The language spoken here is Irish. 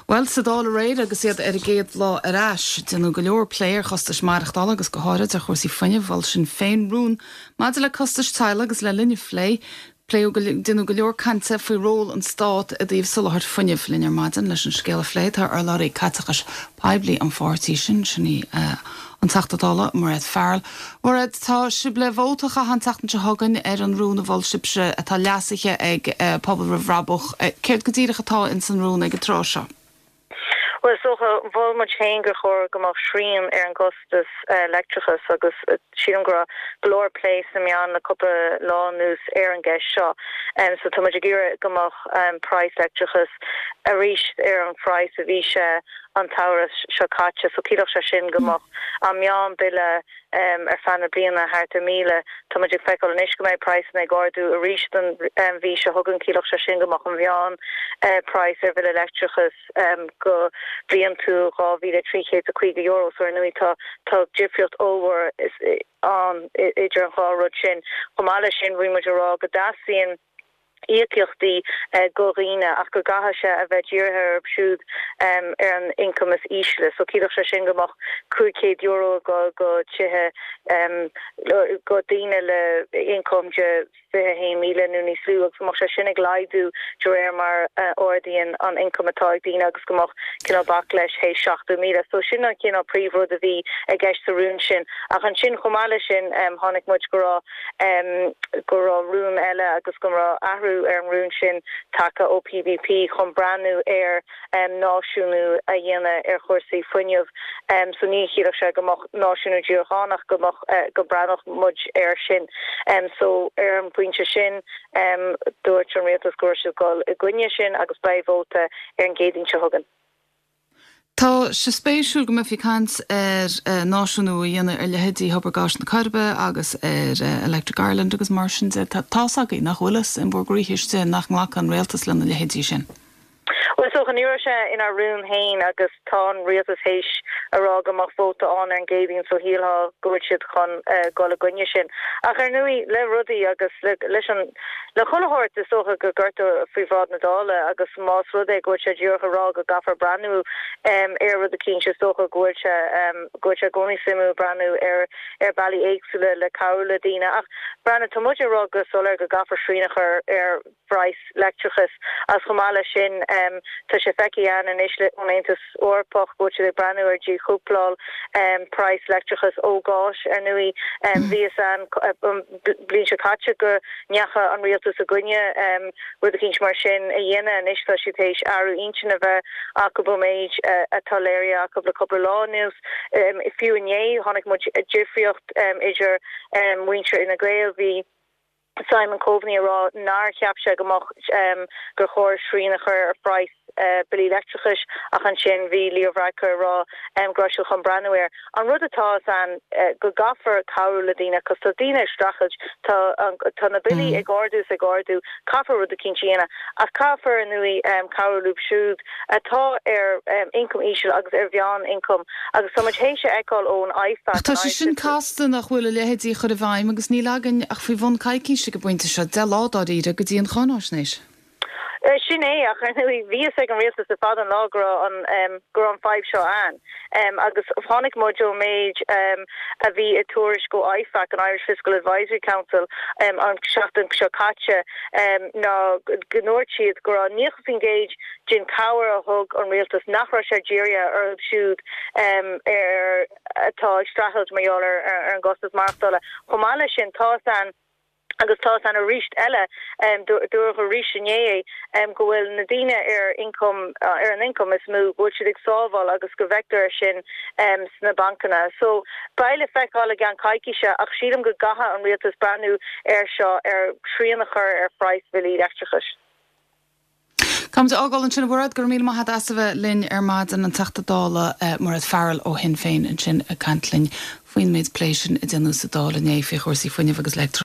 Bhuel, sa Dáil aréir agus iad ar a gcéad lá ar ais, déanadh go leor plé ar chostais maireachtála agus go háirid ar chúrsaí fuinnimh. Mhol Sinn Féin rún maidir le costais teaghlaigh agus le linn an phlé, pléadh go, déanadh go leor cainte faoi ról an Stát i dtaobh soláthair fuinnimh. Linn ar maidin leis an scéal a phlé tá urlabhraí caiteachais poiblí an pháirtí sin, sin í an Teachta Dála Mairéad Farrell. Mairéad, tá sibh le vóta a chaitheamh an tseachtain seo chugainn ar an rún a mhol sibhse atá leasaithe ag Pobal Roimh Bhrabach. Céard go díreach atá ins an rún ag an tráth seo? Bhuel, is dócha, mhol muid féin gur chóir go mbeadh srian ar an gcostas leictreachais agus sílim go raibh go leor plé sna meáin le cúpla lá anuas ar an gceist seo. So tá muid ag iarraidh go mbeadh praghas leictreachais arís ar an phraghas a bhí sé an tsamhradh seo caite. So chiallódh sé sin go mbeadh an meán bille ar feadh na bliana thart ar 1,000. Tá muid ag feiceáil anois go mbeidh praghsanna ag ardú arís don mhí seo chugainn. Chiallódh sé sin go mbeadh an mheán praghas ar bhille leictreachais go bliantúil €2,350. So ar ndóigh tá tá difríocht ollmhór ann idir an dhá rud sin. Chomh maith leis sin bhí muid ag rá go dteastaíonn íocaíochtaí go dhaoine ach go gcaithfidh sé a bheith dírithe orthu siúd ar an ioncam is ísle. So chiallódh sé sin go mbeadh €500 ag dul go tithe go daoine le ioncam de 21,000 nó níos lú agus go mbeadh sé sin ag laghdú de réir mar a ardaíonn an ioncam atá ag daoine agus go mbeadh cineál bac leis théis 70,000. So sin an cineál príomhrud a bhí i gceist sa rún sin. Ach ansin chomh maith leis sin chonaic muid go raibh go raibh rún eile agus go raibh athrú ar an rún sin tagtha ó PBP chun breathnú ar náisiúnú a dhéanamh ar chúrsaí fuinnimh. So ní chiallódh sé go mbeadh náisiúnú díreach ann ach go mbeadh, go mbreathnódh muid air sin. So ar an bpointe sin dúirt an rialtas go raibh siad ag dul i gcoinne sin agus beidh vóta ar an gCéadaoin seo chugainn. Tá sé spéisiúil go mbeifí ag caint ar náisiúnú a dhéanamh ar leithéidí Thobar Gáis na Coiribe agus ar Electric Ireland agus mar sin de. Tá's agaibh nach bhfuil fhios in bhur gcroíthe istigh nach nglacfaidh an rialtas lena leithéidí sin. Bhuel, is dócha, ní raibh sé inár rún féin agus tá an rialtas théis a rá go mbeadh vóta ann ar an gCéadaoin so shílfeá go bhfuil siad chun dul i gcoinne sin. Ach ar ndóigh, le rudaí agus leis an. Le chuile shórt, is dócha go gcuirtear faoi bhráid na Dála agus más rud é go bhfuil sé díreach ag rá go gcaithfear breathnú ar rud eicínt, is dócha go bhfuil sé go bhfuil sé i gcónaí suimiúil breathnú ar ar bealaí éagsúla le cabhrú le daoine. Ach breathnaigh, tá muid ag rá go soiléir go gcaithfear srian a chur ar phraghas leictreachais agus chomh maith leis sin tá sé feicthe againn anois ón Aontas Eorpach go bhfuil siad ag breathnú ar dhíchúpláil praghas leictreachais ó ghás. Ar ndóigh, bhí fhios againn an bhliain seo caite go ndeachaigh an rialtas i gcoinne rud eicínt mar sin a dhéanamh. Anois tá siad théis athrú intinne a bheith acu ón méid atá léirithe acu le cúpla lá anuas. Fiú inné chonaic muid difríocht idir muintir Fhine Gael. Bhí. Simon Coveney ag rá nár cheap sé go mbeadh gur chóir srian a chur ar phraghas billí leictreachais ach ansin bhí Leo Varadkar ag rá go raibh siad chun breathnú air. An rud atá fhios againn go gcaithfear cabhrú le daoine cos tá daoine ag streachailt, tá tá na billí ag ardú is ag ardú, caithfear rud eicínt a dhéanamh ach caithfear ar ndóigh cabhrú leo siúd atá ar ioncam íseal agus ar mheán-ioncam agus tá muid théis a fheiceáil ón IFAC, Ach tá sé sin casta nach bhfuil a leithéidí a chur i bhfeidhm agus níl againn ach faoi bhun coicíse ag an bpointe seo, 10 lá dáiríre, go dtí an cháináisnéis. Sin é, ach ar ndóigh bhí fhios ag an rialtas le fada an lá go raibh an go raibh an fadhb seo ann agus chonaic muid ón méid a bhí i tuairisc ó IFAC, an Irish Fiscal Advisory Council, an seachtain seo caite ná go ndúirt siad go raibh 90% den chabhair a thug an rialtas nach raibh sé dírithe orthu siúd ar atá ag streachailt mar gheall ar an gcostas maireachtála. Chomh maith leis sin, tá fhios againn, agus tá fhios againn arís eile, dúradh arís inné é, go bhfuil na daoine ar ioncam, ar an ioncam is mó, go bhfuil siad ag sábháil agus go bhfeictear é sin sna bancanna. So, beidh le feiceáil i gceann coicíse ach sílim go gcaithfidh an rialtas breathnú air seo, ar shrian a chur ar phraghas bhillí leictreachais. Táimid á fhágáil ansin, a Mhairéad. Go raibh míle maith agat as a bheith linn ar maidin, an Teachta Dála Mairéad Farrell ó Shinn Féin ansin ag caint linn faoin méid plé sin a déanadh sa Dáil inné faoi chúrsaí fuinnimh agus leictreachais.